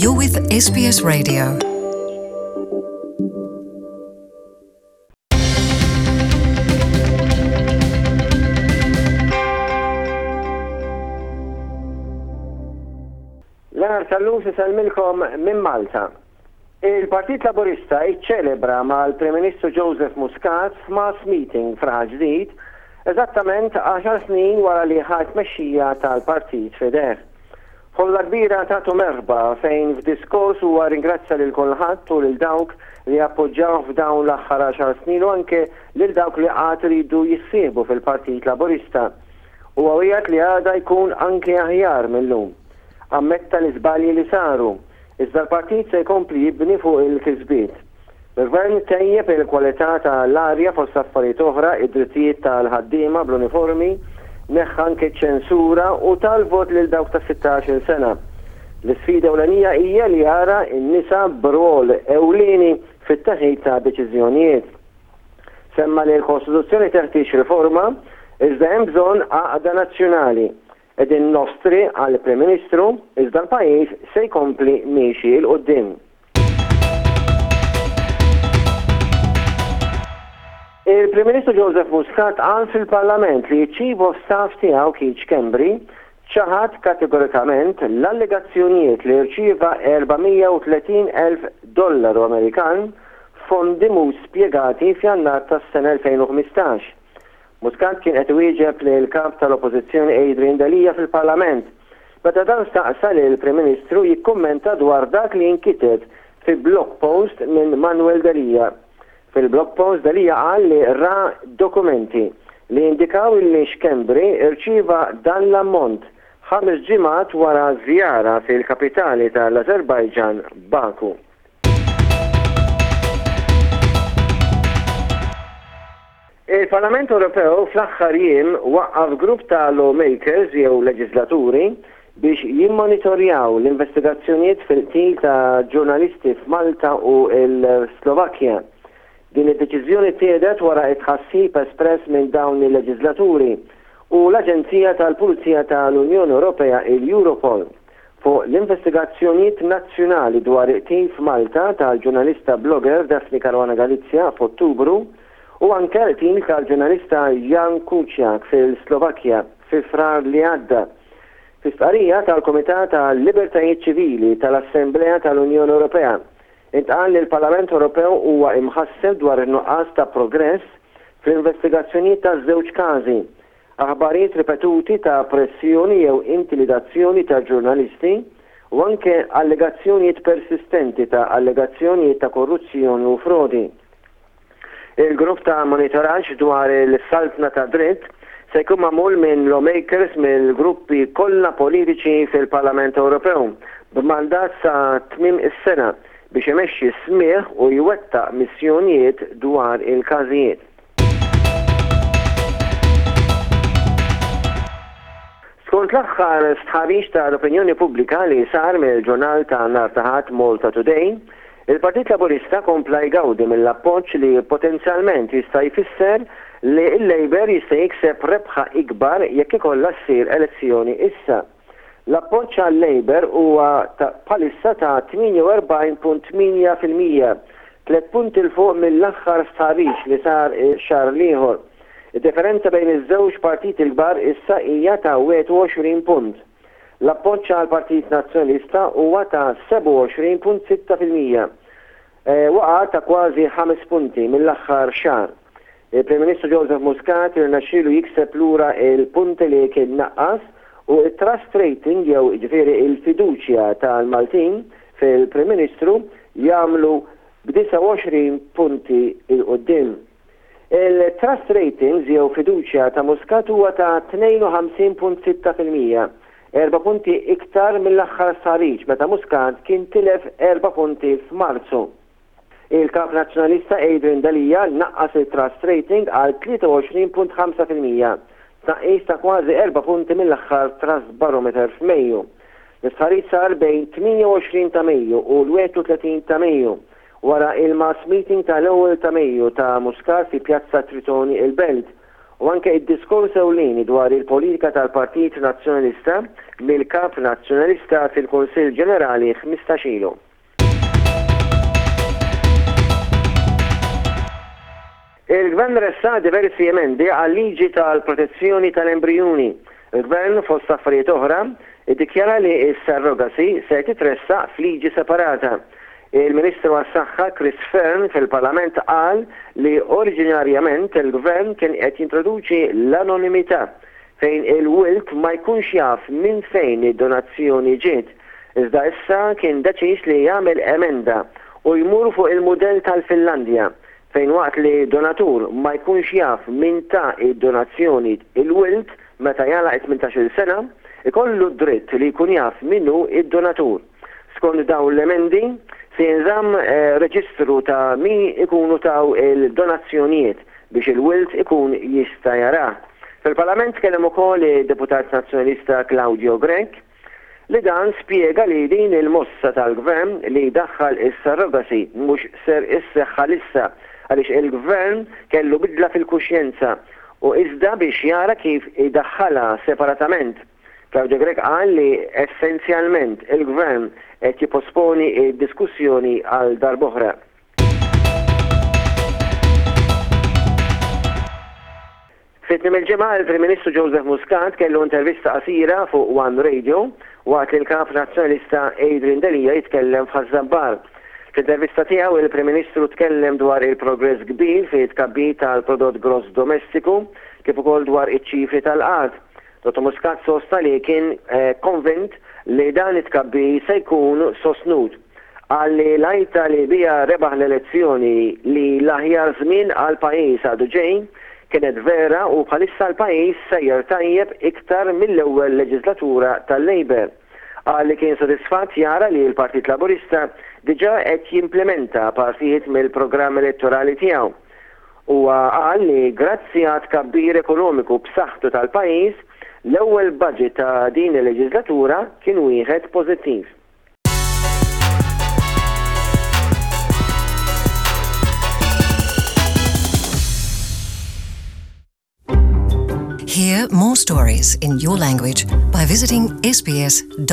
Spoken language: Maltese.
You're with SBS Radio. Leonard Sallus isellmilkom minn Malta. Il-Partit Laburista iċċelebra mal-Prim Ministru Joseph Muscat f'mass meeting f'Raħal Ġdid eżattament għaxar snin wara li ħa t-tmexxija tal-partit f'idejh. Ħolla kbira tatu merħba fejn f'diskors huwa rringrazzja lil kulħadd u lil dawk li appoġġawh f'dawn l-aħħar għaxar snin u anke lil dawk li għad iridu jissieħbu fil-Partit Laburista. Huwa wiegħed li għada jkun anke aħjar mil-lum. Ammetta l-iżbalji li saru Iżda l-partit se jkompli jibni fuq il-kisbiet. Il-Gvern tejjeb il-kwalità ta' l-arja fost affarijiet oħra, id-drittijiet tal-ħaddiema bl-uniformi, neħħa anke ċ-ċensura u ta l-vot lil dawk ta' 16-il sena. L-isfida ewlenija hija li jara n-nisa b'rwol ewlieni fit-teħid ta' deċiżjonijiet. Semma li l-Kostituzzjoni teħtieġ riforma, iżda hemm bżonn għaqda nazzjonali. Qegħdin nofs triq, qal il-Prim Ministru, iżda l-pajjiż se jkompli miexi 'l quddiem. Il-Prim Ministru Joseph Muscat qal fil-Parlament li ċ-Chief of Staff tiegħu Keith Schembri ċaħad kategorikament l-allegazzjonijiet li rċieva 430,000 dollaru Amerikan f'fondi mhux spjegati f'Jannar tas-sena 2015. Muscat kien qed iwieġeb lill-Kap tal-Oppożizzjoni Adrian Delia fil-Parlament, meta dan staqsa lill-Prim Ministru jikkummenta dwar dak li inkiteb fi blog post minn Manuel Delia. Fil-blog post Delia qal li ra dokumenti li jindikaw illi Schembri rċieva dan l-ammont ħames ġimgħat wara żjara fil-kapitali tal-Azerbaijan, Baku. Il-Parlament Ewropew fl-aħħar jiem waqqaf grupp ta' lawmakers jew leġiżlaturi biex jimmonitorjaw l-investigazzjonijiet fil-qtil ta' ġurnalisti f'Malta u l-Slovakkja. Din id-deċiżjoni ttieħdet wara t-tħassib espress minn dawn il-leġiżlaturi u l-Aġenzija tal-Pulizija tal-Unjoni Ewropea il-Europol fuq l-investigazzjonijiet nazzjonali dwar il-qtil f'Malta tal-ġurnalista blogger Daphne Caruana Galizia f'Ottubru u anke l-qtil tal-ġurnalista Jan Kuciak fil-Slovakkja fi Frar li għadda. Fi stqarrija tal-Kumitat għal-Libertajiet Ċivili tal-Assemblea tal-Unjoni Ewropea, intqal li l-Parlament Ewropew huwa imħasseb dwar in-nuqqas ta' progress fl-investigazzjonijiet taż-żewġ każi, aħbarijiet ripetuti ta' pressjoni jew intimidazzjoni ta' ġurnalisti u anke allegazzjonijiet persistenti ta' allegazzjonijiet ta' korruzzjoni u frodi. Il-grupp ta' monitoraġġ dwar il-saltna tad-dritt se jkun magħmul minn lawmakers mill-gruppi kollha politiċi fil-Parlament Ewropew b'mandat sa tmiem is-sena biex imexxi smigħ u jwettaq missjonijiet dwar il-każijiet. Skont l-aħħar stħarriġ tal-opinjoni pubblika li sar mill-ġurnal ta' nhar ta' Ħadd Malta Today, il-Partit Laburista kompla jgawdi mill-appoġġ li potenzjalment jista' jfisser li l-Labour jista' jikseb rebħa ikbar jekk ikollha ssir elezzjoni issa. L-appoġġ għal-Labour huwa bħalissa ta' 48.8%, tliet punti 'l fuq mill-aħħar stħarriġ li sar ix-xahar l-ieħor. Id-differenza bejn iż-żewġ partiti l-kbar issa hija ta' 21 punt. L-appoġġ għall-Partit Nazzjonalista huwa ta' 27.6%, waqgħa ta' kważi ħames punti mill-aħħar xahar. Il-Prim Ministru Joseph Muscat irnexxielu jikseb lura l-punti li kien naqqas u t-trust rating jew jiġifieri l-fiduċja tal-Maltin fil-Prim Ministru jagħmlu b'29 punti 'l quddiem. Il-trust ratings jew fiduċja ta' Muscat huwa ta' 52.6%, erba' punti iktar mill-aħħar stħarriġ meta Muscat kien tilef erba' punti f'Marzu. Il-Kap Nazzjonalista Adrian Delia naqqas il-trust rating għal 23.5%, tnaqqis ta' kważi erba' punti mill-aħħar Trust Barometer f'Mejju. L-istħarriġ sar bejn 28 ta' Mejju u l-31 ta' Mejju Wara il-mass meeting ta' l-ewwel ta' Mejju ta' Muscat fi Pjazza Tritoni il-Belt. u anke id-diskors ewlieni dwar il-politika tal-Partit Nazzjonalista mill-Kap Nazzjonalista fil-Kunsill Ġenerali 15 ilu. Il-Gvern ressaq diversi emendi għal-liġi tal-protezzjoni tal-embrijuni. Il-Gvern, fost affarijiet oħra, iddikjara li s-surrogacy se titressaq f'liġi separata. Il-Ministru għas-Saħħa Chris Fearne fil-Parlament qal li oriġinarjament il-Gvern kien qed jintroduċi l-anonimità fejn il-wild ma jkunx jaf minn fejn id-donazzjoni ġiet, iżda issa kien deċiż li jagħmel emenda u jmur fuq il-mudell tal-Finlandja fejn waqt li donatur ma jkunx jaf min ta d-donazzjoni il-wild meta jagħlaq it-tmintax-il sena, ikollu d-dritt li jkun jaf min hu d-donatur. Skont dawn l-emendi, se jinżamm reġistru ta' min ikunu taw il-donazzjonijiet biex il-wild ikun jista' jarah. Fil-Parlament tkellem ukoll id-Deputat Nazzjonalista Claudio Grech, li dan spjega li din il-mossa tal-Gvern li jdaħħal is-surrogacy mhux ser isseħħ għalissa għaliex il-Gvern kellu bidla fil-kuxjenza u iżda biex jara kif idaħħalha separatament. Claudio Grech qal li essenzjalment il-Gvern qed jipposponi d-diskussjoni għal darb'oħra. Fi tmiem il-ġimgħa, il-Prim Ministru Joseph Muscat kellu intervista qasira fuq One Radio waqt li l-Kap Nazzjonalista Adrian Delia jitkellem f'Ħaż-Żabbar. Fl-intervista tiegħu, il-Prim Ministru tkellem dwar il-progress kbir fi tkabbir tal-prodott gross domestiku kif ukoll dwar iċ-ċifri tal-qgħad. Dottor Muscat sostna li kien konvint li dan it-tkabbir se jkun sostnut. Qal li l-għajta li biha rebaħ l-elezzjoni li l-aħjar żmien għall-pajjiż għadu ġej kienet vera u bħalissa l-pajjiż sejjer tajjeb iktar mill-ewwel leġislatura tal-Labour. Qal li kien sodisfatt jara li l-Partit Laburista diġà qed jimplimenta partijiet mill-programm elettorali tiegħu. Huwa qal li grazzi għat-tkabbir ekonomiku b'saħħtu tal-pajjiż, l-ewwel budget ta' din il-leġislatura kien wieħed pożittiv. Hear more stories in your language by visiting sbs.com.au.